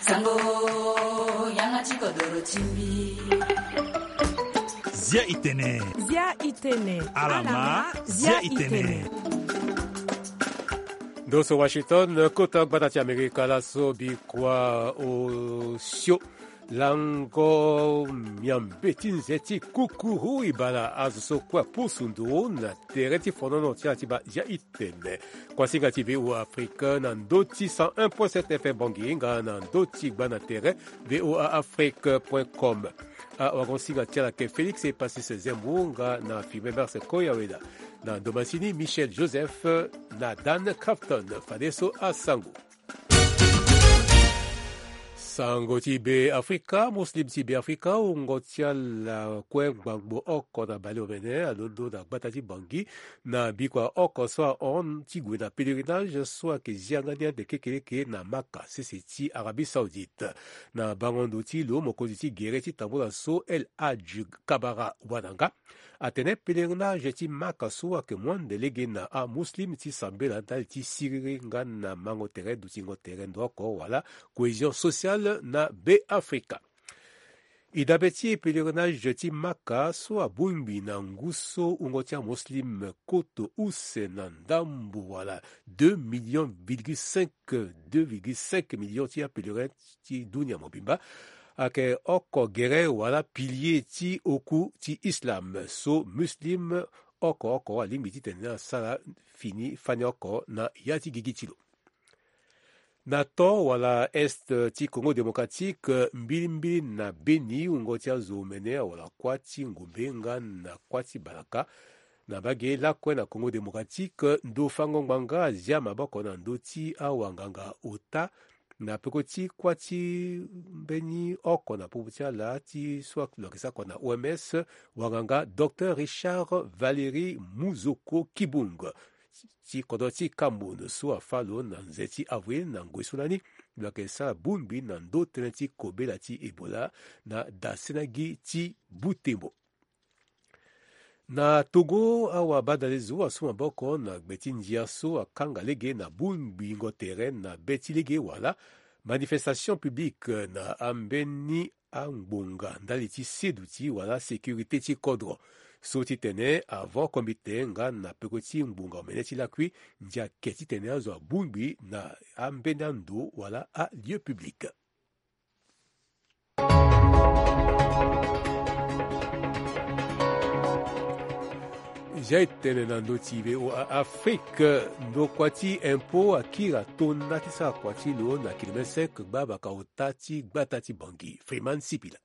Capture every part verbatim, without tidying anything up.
Sango, yanga ti kodoro ti mbi. Zia itene. Zia itene. Alama, zia itene. Ndo so Washington, kota gbata ti Amerika laso bikua osio. Lango miambe ti nze ti kukuru ibala azo so kue apusu ndo na tere ti fonono ti ala ti baa zia itene. Kuasinga ti V O A Afrique na ndo ti cent un point sept F M Bangui nga na ndo ti gba na tere V O A Afrique point com. Awagonsinga ti ala ke Félix Epasis Zembo nga na Firmin Mars Koyaweda. Na ndo masini Michel Joseph na Dan Crafton. Fadeso asango. Sango ti Be Afrika, Muslim ti Be Afrika, wungo ti ala kue ngbangbo oko na baleomene alondo na gbata ti Bangui na bikua oko so ahon ti gue na pèlerinage so ayeke zi yanga ni ande kekeleke na Maka sese ti Arabie Saoudite. Na bango ndo ti lo, mokonzi ti gere ti tambula so El Hadj Kabara Wananga atene pèlerinage ti Maka so ayeke mu ande lege na amuslim ti sambela ndali ti siriri nga na mango tere dutingo tere ndo oko wala cohésion sociale na Be Afrika. E dabe ti pèlerinage ti Maka so abongbi na ngu so wungo ti amuslim koto use na ndambo wala deux millions virgule cinq, deux virgule cinq millions ti apèlerin ti dunia mobimba. Ayeke oko gere wala pilier ti oku ti islam so muslim oko oko alingbi titene asara fini fani oko na ya ti gigi ti lo. Na to wala est ti Congo Démocratique, mbilimbili na Beni, wungo ti azo omene awara kuâ ti ngombe nga na kuâ ti balaka. Na mbage lakue na Congo Démocratique, ndo fango ngbanga azia maboko na ndö ti awanganga ota na peko ti kuâ ti mbeni oko na popo ti ala ti so lo yeke sara kua na O M S, wanganga Docteur Richard Valéry Muzoko Kibung ti kodro ti Cameroun so afâ lo na nze ti avril na ngoi so lani, lo yeke sara bongbi na ndö tënë ti kobela ti Ebola na dasena gi ti Butembo. Na Togo, awabadalezo asu maboko na gbe ti ndia so akanga lege na bongbingo tere na be ti lege wala manifestation publique na ambeni angbonga ndali ti seduti wala sécurité ti kodro. So titene avo kombite nga na peko ti ngbonga omene ti lakui, ndia ke titene azo abongbi na ambeni ando wala alieu public. Zia e tene na ndö ti V O A Afrique, ndokua ti impôt akiri atona ti sara kua ti lo na kilomètre cinq gbabaka ota ti gbata ti Bangui. Freeman Sipila.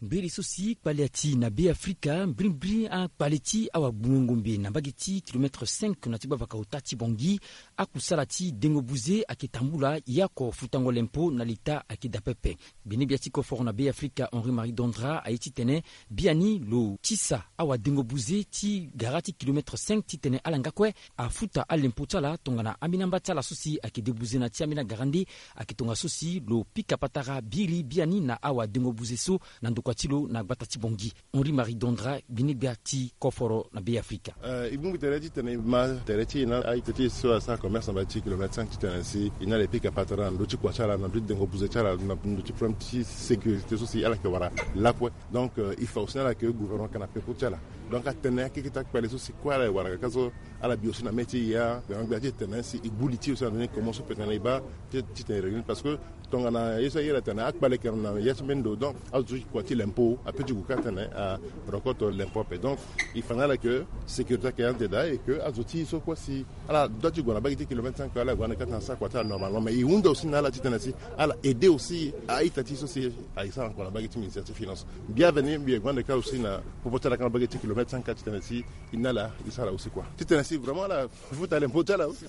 Mbiri so si kpale ati na Be Afrika, mbirimbiri akpale ti awagbungo ngombe na mbage ti kilomètre cinq na ti gbavaka ota ti Bangui, akusala ti dengo buze ayeke tambula, yako futango lempo na leta ayeke daa pepe. Gbene-gbia ti koforo na Be Afrika, Henri Marie Dondra, aye titene biani lo tisa awadengo buze ti gara ti kilomètre cinq titene ala nga kue afuta alempo ti ala tongana ambeni amba ti ala so si ayeke de buze na ti ambeni agarande. Ayeke tongaso si lo pika patara biri biani na awadengo buze so na ndokua ti lo na gbata ti Bangui. Henri Marie Dondra, gbene-gbia ti koforo na Be Afrika. Eh, e bongbi tere titene e ma tere ti e na a-ita ti e so asara commerce na mbage ti kilomètre cinq titene si e na ala e pika patara na ndö ti kua ti ala, na ndö ti dengo buze ti ala, na ndö ti problème ti sécurité so si ala yeke wara lakue. Donc, euh, il faut aussi na ala que gouvernement ayeke na peko ti ala. Donc atene akeke ti akpale so si kue ala ye wara ka so ala bi aussi na mê ti e ya, gbia ti e tene si e gbu li ti e aussi na ndö ni comment so peut tene e baa ti, titene e réunir parce que tongana ye so aye ala tene akpale ayeke na ya ti mbeni ndo, donc azo ti kua ti l'impôt apeut ti gue ka tene a récolte l'impôt ape. Donc il faut na ala que sécurité ayeke ande daa et que azo ti e so kue si ala doit ti gue na mbage ti kilomètre cinq ala gue ande ka tene asara kua ti ala normalement, mais e hunda aussi na ala titene si ala aider aussi a-ita ti e so si aye sara kua na mbage ti ministère ti finance. Bienvenue, mbi ye gue ande ka aussi na popo ti ala ka na mbage ti kilomètre cinq ka titene si e na ala e sara aussi kua titene si vraiment ala futa lempo ti ala aussi.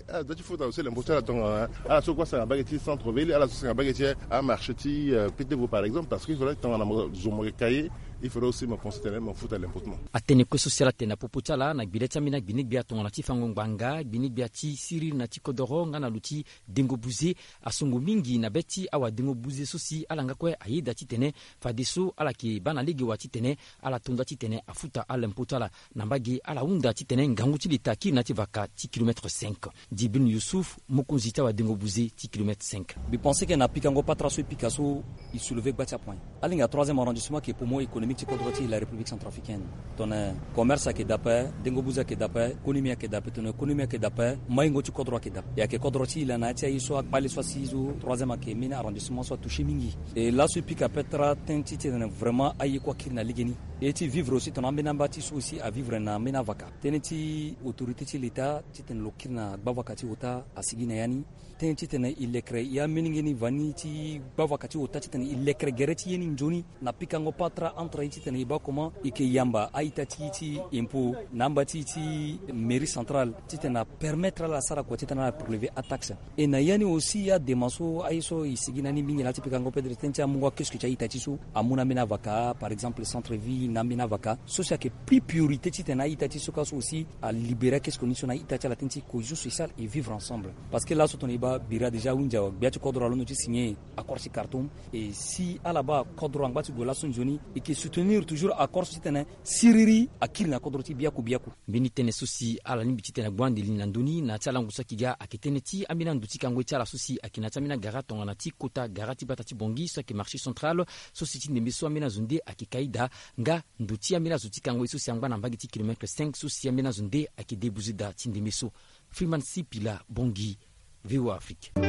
Ala doit ti futa aussi lempo ti ala tongana ala so kue asara na mbage ti centre ville, ala so asara na mbage ti amarché ti, euh, Petit-Vau par exemple, parce que il faudrait tongana mo zo mo yeke ka ye, Il faudra aussi me penser tene me futa l'impôt ti mo. Atene kue so si ala tene na popo ti ala na gbele ti ambeni agbinegbia tongana ti fango ngbanga, gbinegbia ti siriri na ti kodoro nga na lo ti dengo buze, asongo mingi na be ti awadengo buze so si ala nga kue ayeda titene fadeso ala yeke baa na lege wa titene ala to nda titene afuta alempo ti ala. Na mbage ala hunda titene ngangu ti leta akiri na ti vaka ti kilomètre cinq. Djibril Youssouf, mokonzi ti awadengo buze ti kilomètre cinq. Mbi pense ke na pikango patara so e pika so, e soulever gba ti apoint. Alinga troisième arrondissement ke poumon économique ti kodro ti la République centrafricaine. Tongana commerce ayeke daa ape, dengo buze ayeke daa ape, konomi ayeke daa ape. Tongana konomi ayeke daa ape, maingo ti kodro ayeke daa ape. E ayeke kodro ti e laa na ya ti aye so akpale so asi so troisième ayeke mbeni arrondissement so atouché mingi. E laso e pika peut-être tënë ti tene vraiment aye kue akiri na legeni. E ti vivre aussi tongana ambeni amba ti e so aussi avivre na ambeni avaka. Tënë ti autorité ti leta titene lo kiri na gbavaka ti ota asigi na ya ni. Tënë titene e lekere e amolenge ni va ni ti gbavaka ti ota titene e lekere gere ti ye ni nzoni na pikango patara entre e titene e baa comment e yeke yamba a-ita ti e ti impôt na amba ti e ti mairie centrale titene apermettre ala asara kua titene ala prélever ataxe. E na ya ni aussi adema so aye so e sigi na ni mingi laa ti pikango peut-être tënë ti amungo akioske ti a-ita ti e so amu na ambeni avaka, par exemple centre vie na ambeni avaka so si ayeke plus priorité titene a-ita ti e so ka so aussi alibéré akioske ni so na a-ita ti ala tënë ti cohésion sociale et vivre ensemble. Parce que laso tongana e baa bira déjà awinzi awa gbia ti kodro alondo ti signer accord ti Khartoum. Et si ala baa kodro angba ti gue laso nzoni, e yeke soutenir toujours accord so titene siriri akiri na kodro ti e biaku biaku. Mbeni tënë so si ala lingbi titene agbu ande li na ndö ni na ya ti alango so ayeke ga ayeke tënë ti ambeni ando ti kango ye ti ala so si ayeke na ya ti ambeni agara tongana ti kota gara ti bata ti Bangui so ayeke marché central. So si ti ndembe so ambeni azo nde ayeke ka daa nga ndo ti ambeni azo ti kango ye so si angba na mbage ti kilomètre cinq so si ambeni azo nde ayeke debuze daa ti ndembe so. Freeman Sipila, Bangui, V O A Afrique. E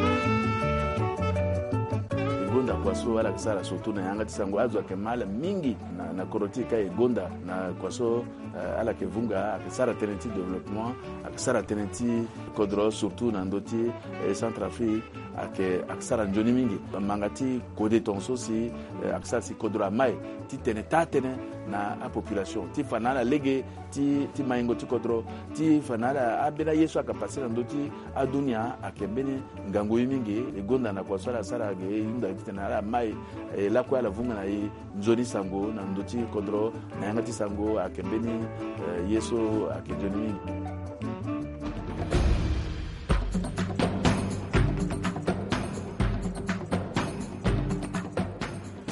gonda kua so ala yeke sara surtout na yanga ti sango, azo ayeke ma ala mingi na, na kodro ti e ka e gonda na kua so, eh, ala yeke vunga, ayeke sara tënë ti développement, ayeke sara tënë ti kodro surtout na ndö ti, eh, Centrafrique, ayeke, ayeke sara nzoni mingi. Manga ti kode tongaso si, eh, ayeke sara si kodro amai ti tene taa tënë na apopulation ti fa na ala lege ti, ti maingo ti kodro, ti fa na ala ambeni aye so ayeke pase na ndö ti adunia ayeke mbeni ngangu ye mingi. E gonda na kua so ala sara ge, e hunda titene ala mai, e lakue ala vunga na e nzoni sango na ndö ti kodro na yanga ti sango ayeke mbeni, eh, ye so ayeke nzoni mingi.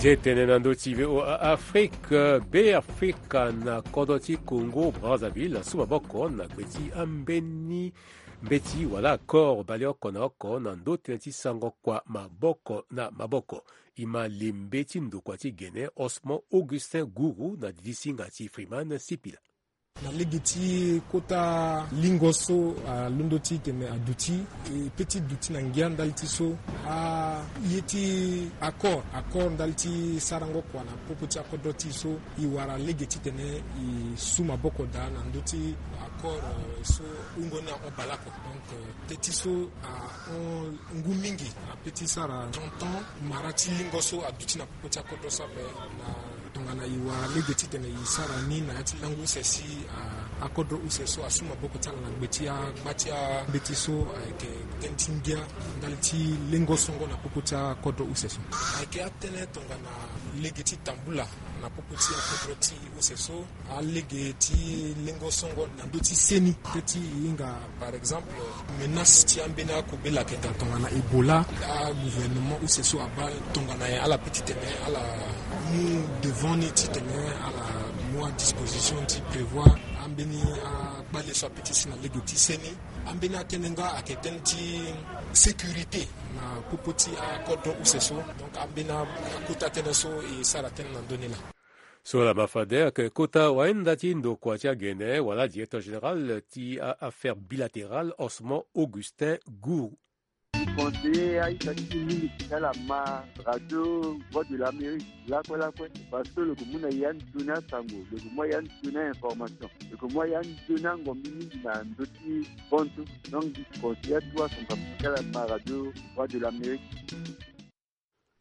Nze tene na ndö ti V O A Afrique, Be Afrika na kodro ti Congo Brazzaville asu maboko na gbe ti ambeni mbeti wala accord baleoko na oko na ndö tënë ti sango kua maboko na maboko. E ma lembe ti ndokua ti Gene Osmond Augustin Gourou na didi singa ti Freeman Sipila. Na lege ti kota lingo so alondo ti tene aduti, e pe ti duti na ngia ndali ti so aye ti accord, accord ndali ti sarango kua na popo ti akodro ti e so, e wara lege titene e su maboko daa na ndö ti accord, eh, so hungo ni ahon baleoko. Donc, eh, teti so ahon ngu mingi na pe ti sara trente ans mara ti lingo so aduti na popo ti akodro so ape. Na tongana e wara lege titene e sara ni na ya ti lango use si, ah, akodro use so asu maboko ti ala na gbe ti agba ti ambeti so, eh, ayeke tënë ti ngia ndali ti lengo songo na popo ti akodro use so. Ayeke atënë tongana lege ti tambula na popo ti akodro ti use so. Alege ti lengo songo na ndö ti seni pe ti e hinga, par exemple, menace ti ambeni akobela ayeke daa tongana Ebola. Agouvernement use so abaa tongana nyen ala pe titene ala mu devant ni titene ala mu adisposition ti prévoir ambeni akpale so ape ti si na lege ti seni. Ambeni atënë nga ayeke tënë ti sécurité na popo ti akodro use so. Donc ambeni akota tënë so e sara tënë na ndö ni laa. So laa ma fade ayeke kota wahinda ti ndokua ti agene wala directeur général ti a-affaire bilatérale Osmond Augustin Gourou. Conseiller a-ita ti e mingi ti ala ma radio Voix de l'Amérique lakue lakue, parce que lo yeke mu na e anzoni asango, lo yeke mu na e anzoni a-information, lo yeke mu na e anzoni angombi mingi na ndö ti bonso. Donc mbi conseiller atuwa asango ti ala ma radio Voix de l'Amérique.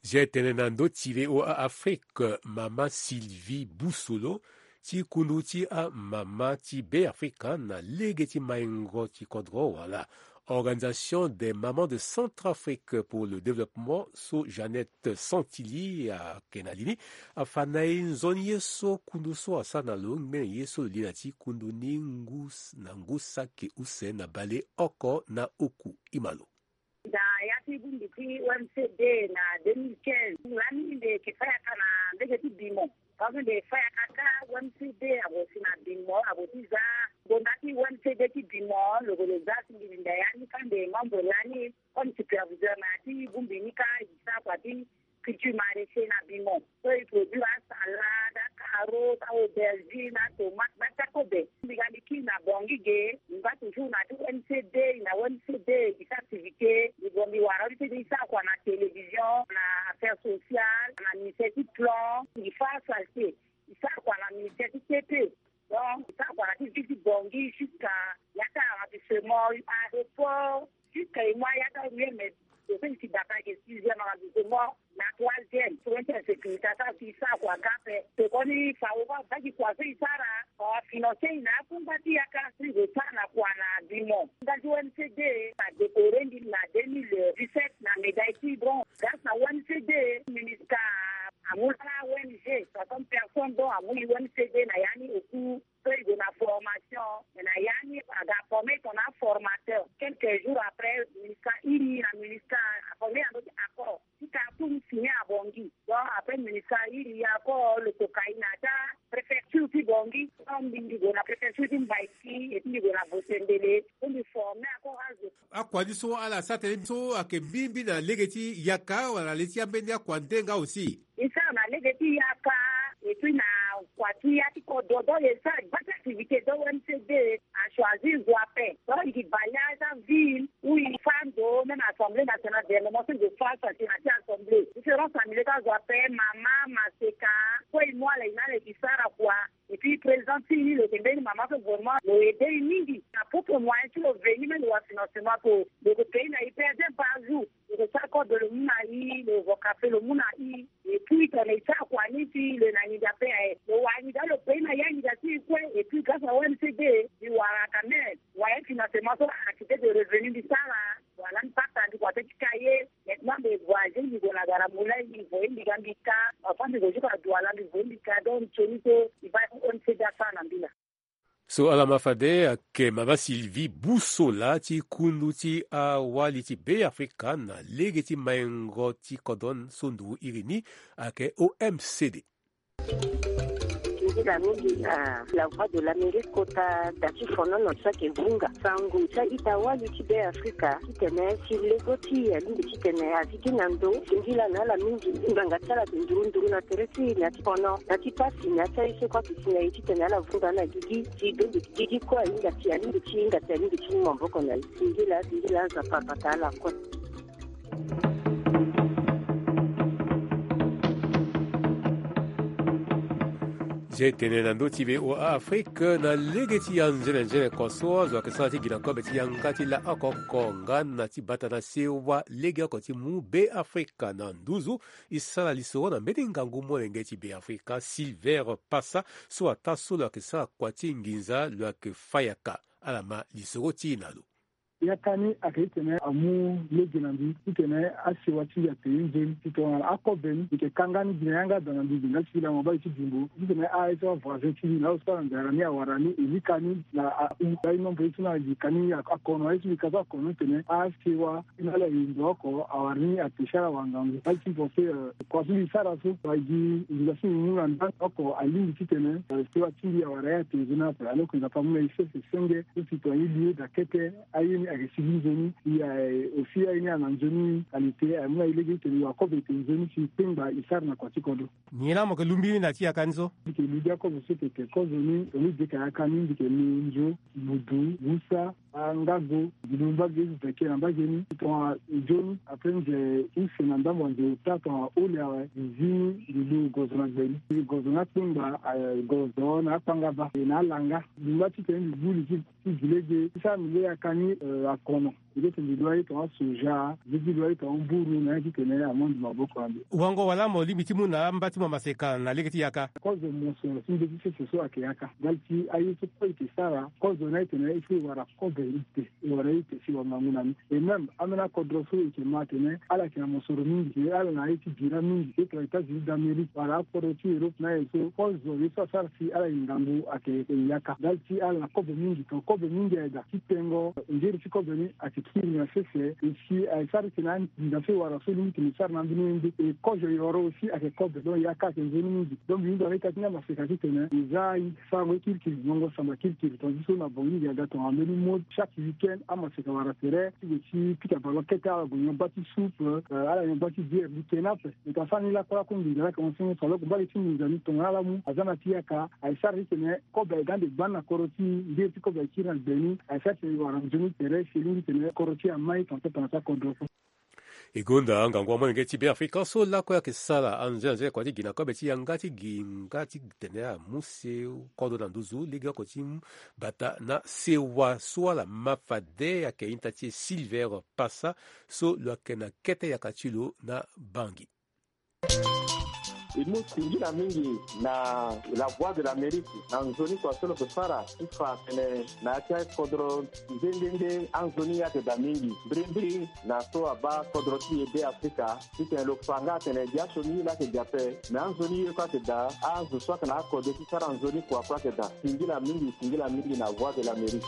Zia tene na ndö ti V O A Afrique, mama Sylvie Boussolo ti kundu ti amama ti Be Afrika na lege ti maingo ti kodro wala Organisation des mamans de Centrafrique pour le développement, so Jeannette Santilli ayeke na li ni, afa na e nzoni ye so kundu so asara na lo ngbene ye so lo li na ti kundu ni ngu na ngu saki use na baleoko na oku. Imalo. Na ya ti bongbi ti O M C D na deux mille quinze, lani mbi yeke fa yaka na mbege ti Bimon. Parce que mbi fa yaka kâ, O M C D ague si na Bimon, ague ti za ngonda ti O M C D ti Bimon, lo gue lo za si mbi linda ya ni kâ, mbi membre lani comme superviseur na ya ti bongbi ni kâ, e sara kua ti culture maraîcher na Bimon. So e produire asalade, acarot, aubergine, atomate, bata kobe. Mbi ga mbi kiri na Bangui ge, mbi bâ toujours na ti O M C D, na O M C D e gi ti activité. Mbi gue mbi wara O M C D e sara kua na télévision, na affaires sociales, na ministère ti plan. Mbi fa saleté, e sara kua na ministère ti T P. Donc e sara kua na ti ville ti Bangui jusqu'à ya ti arrondissement, aéroport, jusqu'à e mu aya ti aruelle, mais e so e si bata ge sixième arrondissement na troisième. So e ti insécurité asara si e sara kua ga ape. Tokoni fao baa baa gi kua so e sara, afinancer e na akungba ti yaka so e gue sara na kua na Bimon. Nda ti O M C D adécorer mbi na deux mille dix-sept na médaille ti bronze. Grâce na O M C D, MINUSCA amu laa O N G, soixante personnes dont amu e O M C D na ya ni oku. So e gue na formation, me na ya ni aga former tongana aformateur. Quelques jours après, MINUSCA iri na MINUSCA aformer na ndö ti accord ti Khartoum, signé à Bangui. Donc après MINUSCA iri accord, lo toka e na ya ti apréfecture ti Bangui. Donc mbi, mbi gue na préfecture ti Mbaïki, et puis mbi gue na Bosembele, so mbi former encore azo. Akua ni so ala sara tënë so ayeke mbi mbi na lege ti yaka wala na le ti ambeni akua nde nga aussi? E sara na lege ti yaka, et puis na kua ti ya ti kodro, donc e sara baa ti activité, donc O M C D achoisir zo ape. Donc e gi baleine ti aville, ou e fa ndo, même Assemblée nationale, dernièrement so e gue fa saleté na ti Assemblée, différence na milieu ti azo ape, mama, maseka, kue e mu ala e na ala e gi sara kua. Et puis président ti e ni lo yeke mbeni mama so vraiment lo aidé e mingi. Na propre moyen ti lo veni même lo wa financement ape, lo yeke payer na e per jour, par jour. Lo yeke sara code, lo mu na e, lo vo café, lo mu na e. Et puis tongana e sara kua ni si lo yeke na nginza pe aye, lo wara nginza, lo payer na e anginza ti e kue. Et puis grâce à O M C D mbi wara quand même moyen financement so, activité de revenu mbi sara. Voilà, mbi pasa mbi kua ti kaye. Maintenant mbi voyager, mbi gue na gara moulin, mbi voye mbi ga mbi ka. Enfin mbi gue jusqu'à Douala, mbi voye mbi ka. Donc nzoni so mbi baa O M C D asara na mbi laa. So ala ma fade ayeke mama Sylvie Boussola ti kundu ti awali ti Beafrika na lege ti maingo ti kodro so ndugu iri ni ayeke O M C D. Ndila mingi na La Voix de l'Amérique kota da ti fonono so ayeke vunga sango ti a-ita wali ti Beafrika titene si lego ti e alingbi titene azi gi na ndo. Singila na ala mingi ngbanga ti ala ayeke nduru nduru na tere ti e na ya ti fono, na ti pasi, na ya ti aye so kue ayeke si na e titene ala vunga na gigi. Ti e bembe gigi kue ahinga ti e, alingbi ti e hinga ti e, alingbi ti e mu maboko na e. Singila, singila, Nzapa abata ala kue. Zia e tene na ndö ti V O A Afrique na lege ti anzene nzene oko so azo ayeke sara ti gi na kobe ti yanga ti la oko oko nga na ti bata na sewa legeoko ti mu Beafrika na nduzu. E sara lisoro na mbeni ngangu molenge ti Beafrika, Silver Pasa, so ataa so lo yeke sara kua ti nginza lo yeke fâ yaka. Ala ma lisoro ti e na lo. Yaka ni ayeke titene amu lege na mbi titene asewa ti mbi ate ye nzoni. Tongana akobe ni, mbi yeke kanga ni gi na yanga daa na mbi gi nga ti la mabali ti bimbo titene aye so avoisin ti mbi na azo so ala nzara ni awara ni, e lika ni na ahu. Aye nombre ye so na mbi ka ni akono, aye so mbi ka so akono titene asewa ti na ala ye ndo oko awara ni ate si ala wara ngangu. Aye ti mbi pense, eh, kua so mbi sara so, wa gi nginza so mbi mu na ndani oko alingbi titene, eh, sewa ti mbi awara ye ate nzoni ape. Alors que Nzapa amu na e sese senge so si tongana e li ye daa kete, aye ni ayeke sigi nzoni. E, eh, aussi aye ni ana nzoni qualité, amu na e lege titene e wa kobe ete nzoni si e kpengba e sara na kua ti kodro. Nyen laa mo yeke lungbi ni na ti yaka ni so? Mbi yeke lungbi akobe so yeke kozoni, tongana e yeke yaka ni, mbi yeke lu nzo, mudu, wusa, angago, mbi lu mbage, mbi peke na mbage ni. Tongana nzoni, après nze use na ndambo ya nze ota, tongana ole awe, mbi zi ni, mbi lu gozo na gbe ni. Mbi gozo na akpengba, eh, gozo na akpangaba, eh, na alanga. Mbi ngba titene mbi bu li ti, ti gi lege. Ti sara mbi lege yaka ni, eh, akono. Eke tene lo aye tonga soja, nzeti lo aye tonga mburu na ya titene amondo maboko ande. Wango wala mo lingbi ti mu na amba ti mo maseka na lege ti yaka. Kozo mosoro ti mbeti sese so ayeke yaka ndali ti aye so kue eke sara kozo na e tene e so e wara kobe ite, e wara ite si wangangu na ni. Et même ambeni akodro so eke ma atene ala yeke na mosoro mingi, e ala na aye ti bira mingi, e tongana États-Unis d'Amérique wala akodro ti Europe na aye so kozo ye so asara si ala yeke ngangu ayeke yaka ndali ti ala na kobe mingi. Tongana kobe mingi ayeke daa ti tengo ngeri ti kobe ni ayeke kiri na sese. E si ayeke sara titene anginza so e wara so lingbi tene e sara na ambeni ye nde. E kozo yoro aussi ayeke kobe, donc yaka ayeke nzoni mingi. Donc mbi hunda na ita ti ni amaseka titene e za e sarango ye kirikiri, ngongo samba kirikiri. Tongana so na Bangui aga tongana mbeni mode chaque week-end amaseka wara tere ti gue ti pika ballon kete, ala gue nyon bâ ti soupe, euh, ala nyon bâ ti bière. Mbi ke ni ape. E ta sara ni lakue lakue nginza laa ayeke enseigner so alors que mbage ti nginza ni tongana ala mu aza na ti yaka. Aye sara titene kobe aye ga ande gbani na kodro ti e, ngeri ti kobe aye kiri na gbe ni. Aye sara titene e wara nzoni tere si e lingbi titene kodro ti e amai tongana so tongana so akodro. E gonda ngangu amolenge ti Beafrika so lakue ayeke sara anze anze kua ti gi na kobe ti yanga ti gi nga ti tene amu se kodro na nduzu legeoko ti mu bata na sewa so ala ma fade ayeke ita ti e Silver Pasa so lo yeke na kete yaka ti lo na Bangui. E mu singila mingi na La Voix de l'Amérique na nzoni kua so lo yeke sara ti fa atene na ya ti akodro nde nde nde anzoni ye ayeke daa mingi mbirimbiri na so abaa kodro ti e Beafrika titene lo fa nga atene gi asioni ye laa ayeke gi ape. Me anzoni ye kue ayeke daa azo so ayeke na akode ti sara nzoni kua kue ayeke daa. Singila mingi, singila mingi na Voix de l'Amérique.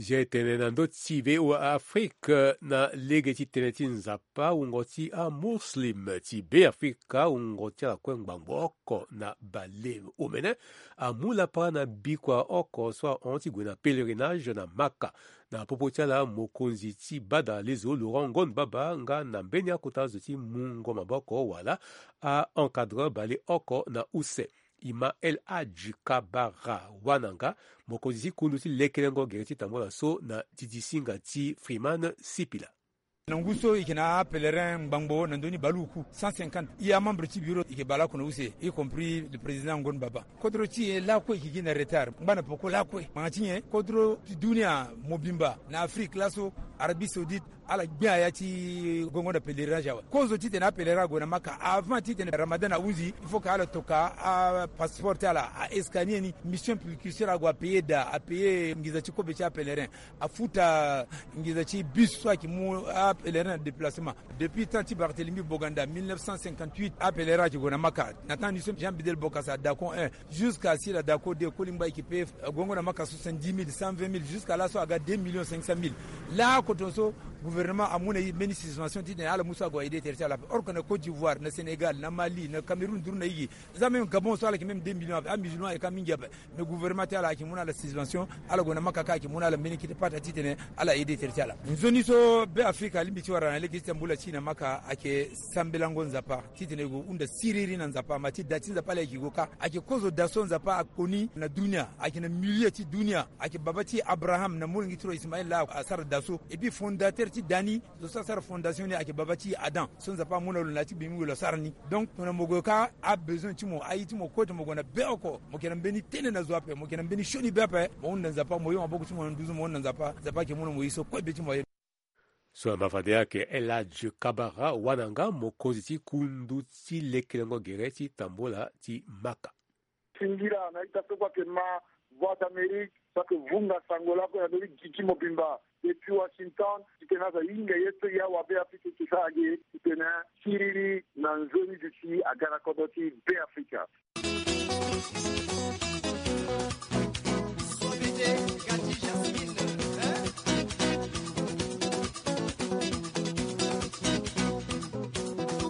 Zia e tene na ndö ti V O A Afrique na lege ti tënë ti Nzapa, wungo ti aMuslim ti Beafrika, wungo ti ala kue ngbangbo oko na bale omene, amu lapara na bikua oko so ahon ti gue na pèlerinage na Maka. Na popo ti ala, mokonzi ti bada lezo Laurent Ngon Baba nga na mbeni akota zo ti mungo maboko wala a-encadreur bale oko na use. Imam El Hadj Kabara Wananga, mokonzi ti kundu ti lekelengo gere ti tambula so na didisinga ti Freeman Sipila. Na ngu so e yeke na apèlerin ngbangbo na ndö ni baleoku cent cinquante. E amembre ti bureau e yeke baleoko na use, y compris le président Ngon Baba. Kodro ti e lakue e yeke gi na retard. Ngbana peko lakue. Ngbanga ti nyen? Kodro ti dunia mobimba na Afrique laso, Arabie Saoudite, ala gbia ya ti gongo na pèlerinage awe. Kozo titene apèlerin ague na Maka, avant titene Ramadan ahunzi, il faut que ala toka apasseport ti ala, a-escanier ni. Mission précurseur ague apayer daa, apayer nginza ti kobe ti apèlerin, afuta nginza ti bus so ayeke mu apèlerin na déplacement. Depuis temps ti Barthélemy Boganda, mille neuf cent cinquante-huit, apèlerin ayeke gue na Maka. Na temps ni so Jean Bedel Bokassa, Dacon un, jusqu'à Sila Dacon deux, Kolingba, e yeke payer, euh, gongo na Maka soixante-dix mille, cent vingt mille, jusqu'à laso aga deux millions cinq cent mille. Laoko tongaso gouvernement amu na e mbeni suspension titene ala mu so ague aider tere ti ala ape. Or que na Côte d'Ivoire, na Sénégal, na Mali, na Cameroun, nduru na e gi, za même Gabon so ala yeke même deux millions ape, amusulman ayeke ka mingi ape. Mais gouvernement ti ala ayeke mu na ala suspension, ala gue na Maka kâ ayeke mu na ala mbeni kete pata titene ala aider tere ti ala. Nzoni so Beafrika alingbi ti wara na lege ti tambula ti e na Maka ayeke sambelango Nzapa, titene e gue hunda siriri na Nzapa, ma ti da ti Nzapa laa e yeke gue kâ. Ayeke kozo da so Nzapa akoni na dunia, ayeke na milieu ti dunia. Ayeke baba ti Abraham na molenge ti lo Ismaël laa asara da so. Et puis fondateur ti da ni, zo so asara fondation ni ayeke baba ti Adam, so Nzapa amu na lo na ya ti gbe mingi lo asara ni. Donc tongana mo gue kâ, abesoin ti mo, aye ti mo kue tongana mo gue na be oko, mo yeke na mbeni tënë na zo ape, mo yeke na mbeni sioni be ape, mo hunda Nzapa, mo yo maboko ti mo na nduzu, mo hunda Nzapa, Nzapa ayeke mu na mo ye so kue be ti mo aye. So na mbafade ayeke El Hadj Kabara Wananga, mokonzi ti kundu ti lekelengo gere ti tambula ti Maka. Singila na ita so kue ayeke ma Voix d'Amérique, so ayeke vunga sango lakue na ndö ti gigi mobimba depuis Washington, titene azo ahinga ye so e awabe Afrika e yeke sara ge, titene siriri na nzoni duti aga na kodro ti Beafrika.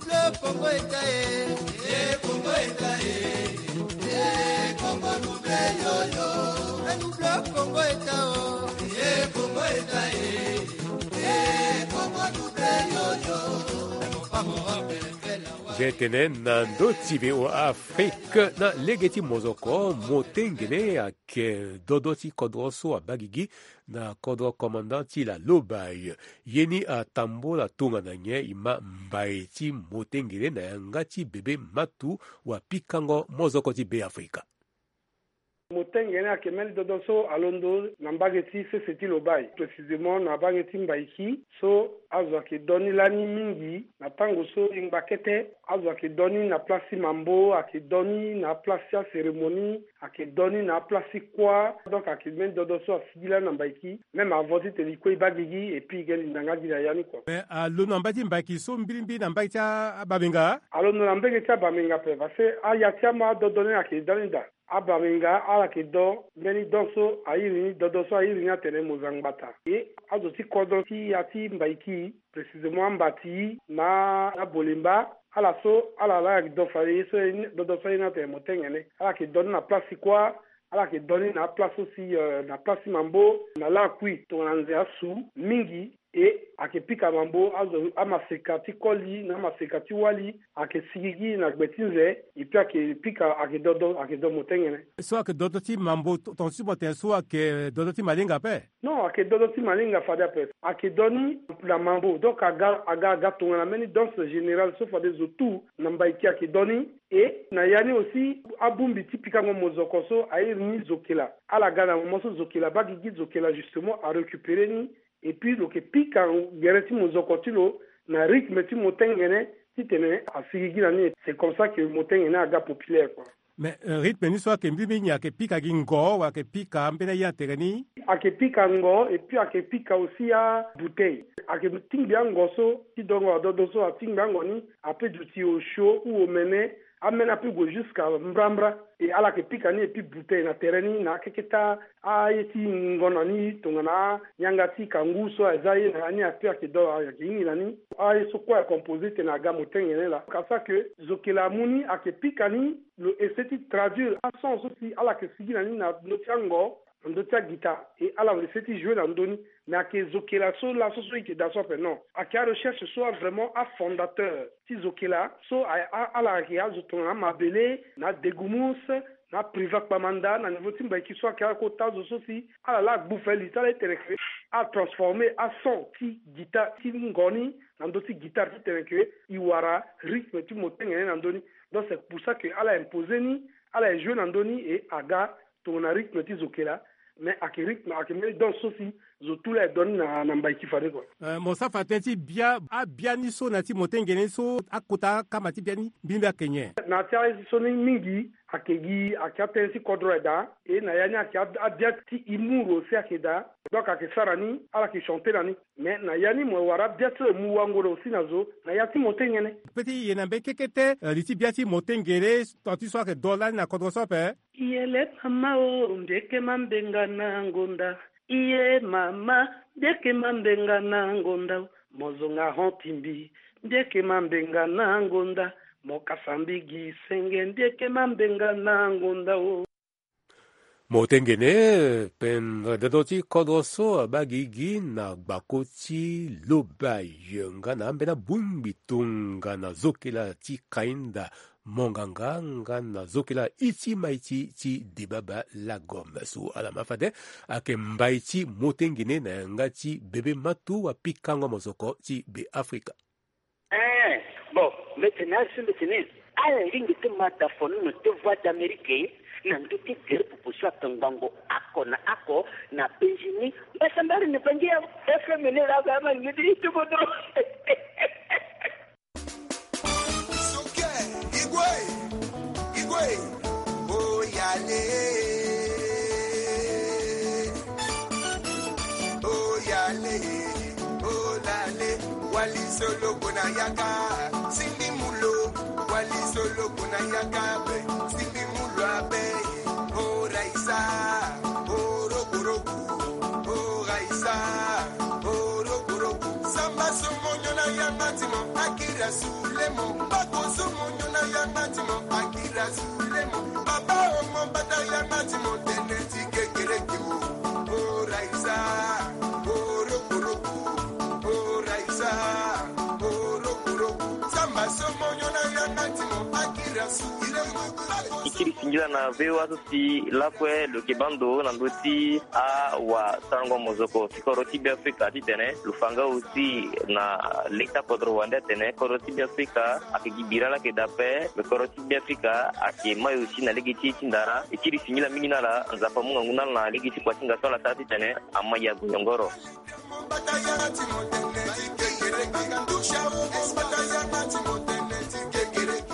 Double Congo État, eh. Eh, Congo État, eh. Eh, Congo double yo yo. Eh, double Congo État, oh. Eh, Congo État, eh. Eh, Congo double yo yo. Eh, mon papa, mon papa, eh, fais la Tene na ndo ti V O A Afrique na lege ti mozoko, motengene ayeke dodo ti kodro so abagigi na kodro commandant ti la Lobaye. Ye ni atambola tongana nyen? E ma mbai ti motengene na yanga ti bebe matu wa pikango mozoko ti Be Afrika. Motengene ayeke mbeni dodo so alondo na mbage ti sese ti Lobaye, précisément na mbage ti Mbaiki, so azo ayeke do ni lani mingi. Na tango so e ngba kete, azo ayeke do ni na place ti mambo, ayeke do ni na place ti acérémonie, ayeke do ni na place ti kuâ. Donc ayeke mbeni dodo so asigi lani na Mbaiki, même avant titene e kue e baa gigi, et puis e ke linda nga gi na ya ni kua. Mais alondo na mbage ti Mbaiki so mbilimbili na mbage ti a- abamenga? Alondo na mbage ti abamenga ape, parce que aya ti amu adodo ni ayeke da ni daa. Abamenga ala yeke do mbeni don so a iri ni, dodo so a iri ni atene Mozangbata. E azo ti kodro ti ya ti Mbaiki, précisément Ambati na Abolemba, ala so ala laa ayeke do fade ye so, dodo so a iri ni atene motengene. Ala yeke do ni na place ti kuâ, ala yeke do ni na aplace so si, euh, na place ti mambo, na lakui tongana nze asu mingi. E ayeke pika mambo, azo amaseka ti koli na amaseka ti wali ayeke sigi gi na gbe ti nze. Et puis ayeke pika, ayeke dodo, ayeke do motengene. So ayeke dodo ti mambo, ton- tonga ti mo tene so ayeke dodo ti malinga ape? Non, ayeke dodo ti malinga fade ape. Ayeke do ni na mambo, donc aga aga aga tongana mbeni danse générale so fade zo tu na Mbaiki ayeke do ni. E na ya ni aussi, abongbi ti pikango mozoko so a iri ni zokela. Ala ga na moment so zokela abaa gigi, zokela justement arécupéré ni. Et puis lo yeke pika gere ti mozoko ti lo na rythme ti motengene titene asigi gi na ni. C'est comme ça que motengene aga populaire, quoi. Mais, euh, rythme ni so ayeke mbi mbi nyen, ayeke pika gi ngo wala ayeke pika ambeni aye na tere ni? Ayeke pika ngo, et puis ayeke pika aussi abouteille. Ayeke tingbi ango so ti dongo adodo so, atingbi ango ni, ape duti osio ou omene, ameni ape gue jusqu'à mbrambra. E ala yeke pika ni, et puis bouteille na tere ni na akeketa aye ti ngo na ni, tongana yanga ti kangu so aza ye na ya ni, ape ayeke do, ayeke hingi na ni. Aye so kue a composé tene aga motengene laa. Ka sa que zokela amu ni, ayeke pika ni, lo essayer ti traduire ason so si ala yeke sigi na ni na ndö ti ango, na ndö ti aguitare, e ala essayer ti jouer na ndö ni. Mais ayeke zokela so laso so e yeke daa so ape, non. Ayeke arecherche so a vraiment afondateur ti zokela so a- a- ala yeke azo tongana amabele, na adegumus, na apriva kpamanda na niveau ti Mbaiki so ayeke akota azo so si ala laa agbu fali ti ala ti tene ke atransformer ason ti guitare ti ngo ni na ndö ti guitare ti tene ke e wara rythme ti motengene na ndö ni. Donc c'est pour ça que ala imposer ni, ala e jouer na ndö ni, e aga tongana rythme ti zokela. Mais ayeke rythme, ayeke mbeni danse so si zo tu laa e do ni na, na Mbaiki fade kua. Euh, mo sara fa tënë ti bia, abia ni so na ya ti motengene ni so, akota akama ti bia ni mbi mbi ayeke nyen? Na ya ti aye so ni mingi ayeke gi, ayeke atënë ti kodro aye daa. E na ya ni ayeke a- abia ti humour aussi ayeke daa. Donc ayeke sara ni, ala yeke chanter na ni. Mais na ya ni mo wara bia ti lo mu wango na aussi na zo na ya ti motengene. Pe ti ye na mbeni kekete, euh, li ti bia ti motengene, tant ti so ayeke do lani na kodro so ape. Iyele mama o, mbi yeke mambenga na ngonda. Iye mama, mbi yeke mambenga na ngonda o. Mo zonga hon ti mbi, mbi yeke mambenga na ngonda. Mo kasa mbi gi senge, mbi yeke mambenga na ngonda o. Motengene pendere dodo ti kodro so abaa gigi na gbako ti Lobaye nga na ambeni abongbi tongana zokela ti Kainda Monganga nga na zokela iti maiti ti Debaba Lagom so ala ma fade ayeke mbai ti motengene na yanga ti bebe matu wa pikango mozoko ti Be Afrika. Eh, bon, mbi tene asi mbi tene ala lingbi ti ma da fono na te Voix d'Amérique na ndö ti gere popo so ayeke ngbongo oko na oko na penzi ni. Mbasambari ni bangi ya F M ni la ba ma ni ti kodro. Suke, igwe, igwe, oyale. Oyale, olale, wali solo kona yaka, simbi mulo, wali solo kona yaka be, simbi mulo abe, o Raisa, o Rokoroko, o Raisa, o Rokoroko, samba somonyo na yanga ti mo, akira sulemo, bako somonyo na yanga ti mo, akira sulemo, baba omo bata yanga ti mo, tene ti kekereke o, o Raisa, o Rokoroko, o Raisa, o Rokoroko, samba somonyo na yanga E kiri singila na V O A so si lakue lo yeke baa ndo na ndö ti awasarango mozoko ti kodro ti Beafrika titene lo fa nga aussi na lege ti akodro wande atene kodro ti Beafrika ayeke gi bira laa ayeke daa ape. Me kodro ti Beafrika ayeke mai aussi na lege ti e ti ndara. E kiri singila mingi na ala, Nzapa amu ngangu na ala na lege ti kuasinga so ala sara titene ama yago yongoro.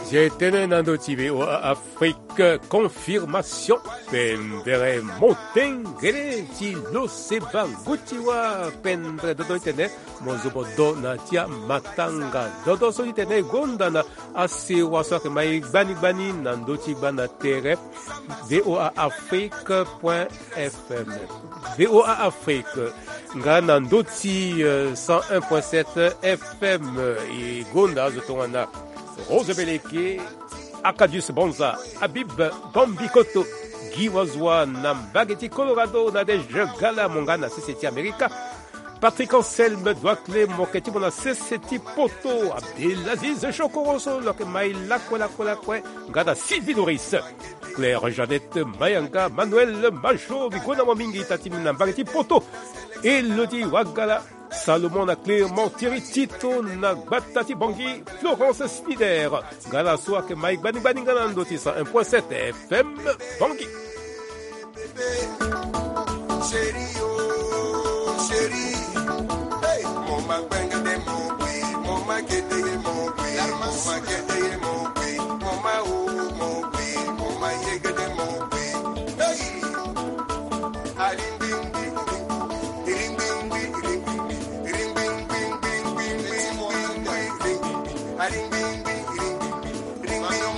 J'ai tene na ndö ti V O A Afrique, confirmation. Pendere motengele ti lo seba nguti wa pendere dodo titene mo zo bo do na ti amatanga dodo so titene e gonda na asewa so ayeke mai gbani gbani na ndö ti gbanda tere V O A Afrique point F M. V O A Afrique nga na ndö ti, euh, cent un point sept F M. E gonda azo tongana Rose Beleke, Acadius Bonza, Habib Bambikoto, Guy Wazua na mbage ti Colorado, Nadège Gala mo nga na sese ti Amerika. Patrick Anselme Duaclé mo yeke ti mo na sese ti poto, Abdelaziz Chokoro so lo yeke mai lakue lakue lakue nga na Sylvie Doris, Claire Jeannette Mayanga, Manuel Majo, mbi gonda mo mingi ita ti mbi na mbage ti poto. Elodie Wagala, Salomon na Clément Thierry Tito na gbata ti Bangui, Florence Snider nga na so ayeke mai gbani gbani nga na ndö ti cent un point sept F M Bangui. Chérie, oh, chérie. Hey, mama gbengede mo gui, mama gedeye mo gui, mama gedeye mo gui, mama oh mo gui, mama yegede mo gui. Hey. Aringbingbi, ringbingbi, ringbingbi, ringbingbi, ringbingbi, ringbingbi, aringbingbi, ringbingbi.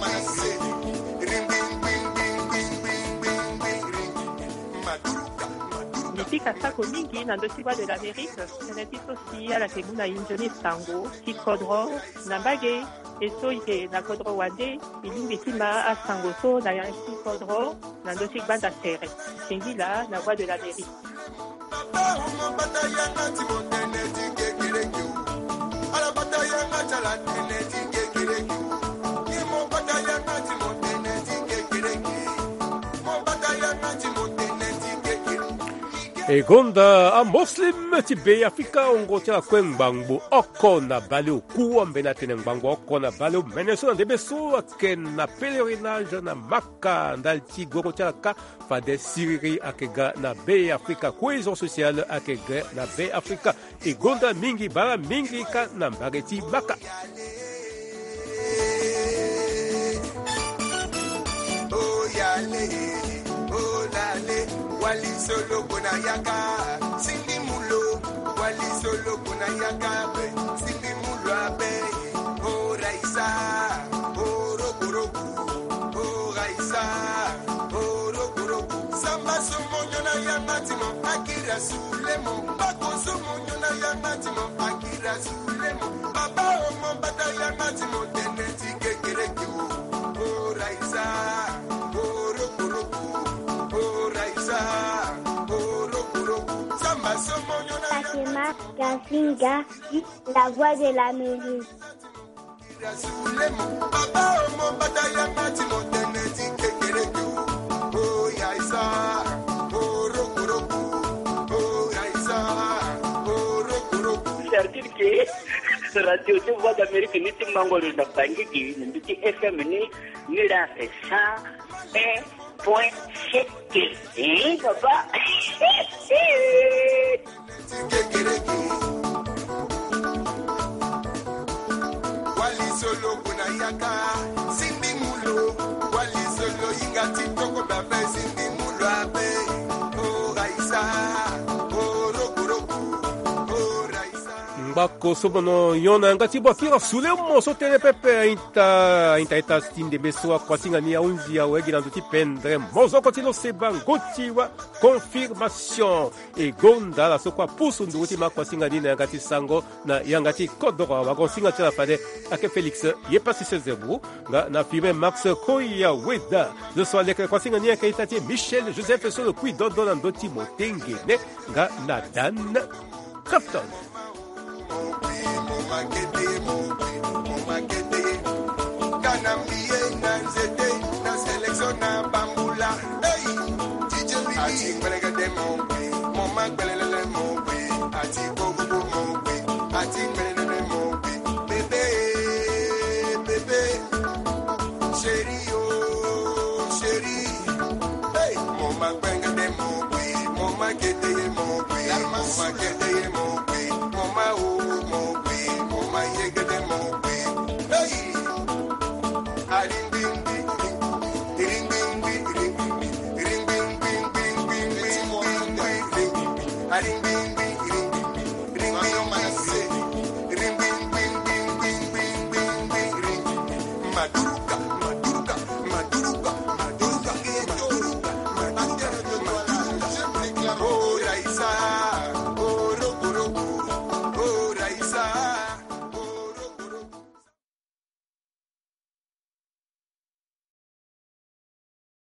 Mbi pika sako mingi na ndö ti Voix de l'Amérique, tënë ti so si ala yeke mu na e nzoni sango ti kodro na mbage. E so e yeke na kodro wande, e lingbi ti ma asango so na yanga ti kodro na ndö ti gbanda tere. Singila na Voix de l'Amérique. E gonda aMuslim ti Beafrika, wungo ti ala kue ngbangbo oko na baleoku, ambeni atene ngbangbo oko na baleomene so na ndembe so ayeke na pèlerinage na Maka, ndali ti goro ti ala kâ fade siriri ayeke ga na Beafrika, cohésion sociale ayeke ga na Beafrika. E gonda mingi, bala mingi kâ na mbage ti Maka. Oyale, olale, wali solo kona yaka, sindi mulo, wali solo kona yaka be, sindi mulo abe, o Raisa, o Rokoroko, o Raisa, o Rokoroko. Samba so mo nyo na yanga ti mo, akira sule mo, bako so mo nyo na yanga ti mo, akira sule mo. Baba o mo bata yanga ti mo, tënë ti kekereke o. O Raisa, o Rokoroko, o Raisa, o Rokoroko. Samba so mo nyo na yanga ti mo. Akema Gazinga, la voix de l'Amérique. C'est-à-dire que radio ti Voix d'Amérique ni ti mango lo na Bangui gi na mbi ti F M ni, ni la fait cent un point sept. Eh, papa. Ngbako so mo nyo na yanga ti bwakira sule mo so tënë pepe. Aita, aita, aita ti ndembe so akuasinga ni ahunzi awe gi na ndö ti pendere mozoko ti lo seba ngoti wa confirmation. E gonda ala so kue apusu nduru ti ma akuasinga ni na yanga ti sango na yanga ti kodoro. Awagosinga ti ala fade ayeke Félix Yepasi Sezebu nga na Firmin Max Koya Weda. Lo so aleke kuasinga ni ayeke ita ti Michel Joseph so lo kui dodo na ndö ti motengene nga na Dan Crafton. Kana mbi ye na nze Ti ngbelengede mo gbe, mo ma gbelelele mo gbe, ati gogogo mo gbe, ati ngbelelele mo gbe. Bébé, bébé, chéri o, chéri. Hey, mo ma gbelengede mo gbe, mo ma kedeye mo gbe, mo ma kedeye mo gbe.